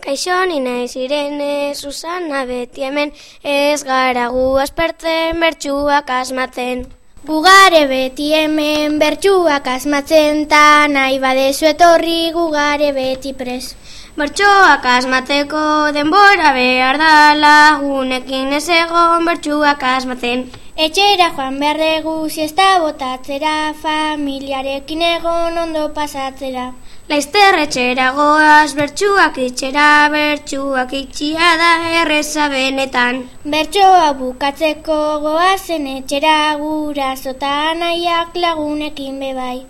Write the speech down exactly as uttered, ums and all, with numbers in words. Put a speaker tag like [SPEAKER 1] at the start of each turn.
[SPEAKER 1] Kaixo, ni naiz Irene, Susana beti hemen, ez gara gu aspertzen bertsuak asmatzen.
[SPEAKER 2] Gugare beti hemen bertsuak asmatzen, ta nahi badezu etorri gugare beti pres.
[SPEAKER 1] Bertsoak asmateko denbora behar da, lagunekin ez egon bertsuak asmatzen.
[SPEAKER 2] Etxera joan behar dugu siesta botatzera, familiarekin egon ondo pasatzera.
[SPEAKER 1] Laizter etxera goaz, bertsuak itxera, bertsuak itxia da erreza benetan.
[SPEAKER 2] Bertsoa bukatzeko goazen etxera, guraso ta anaiak lagunekin bebai.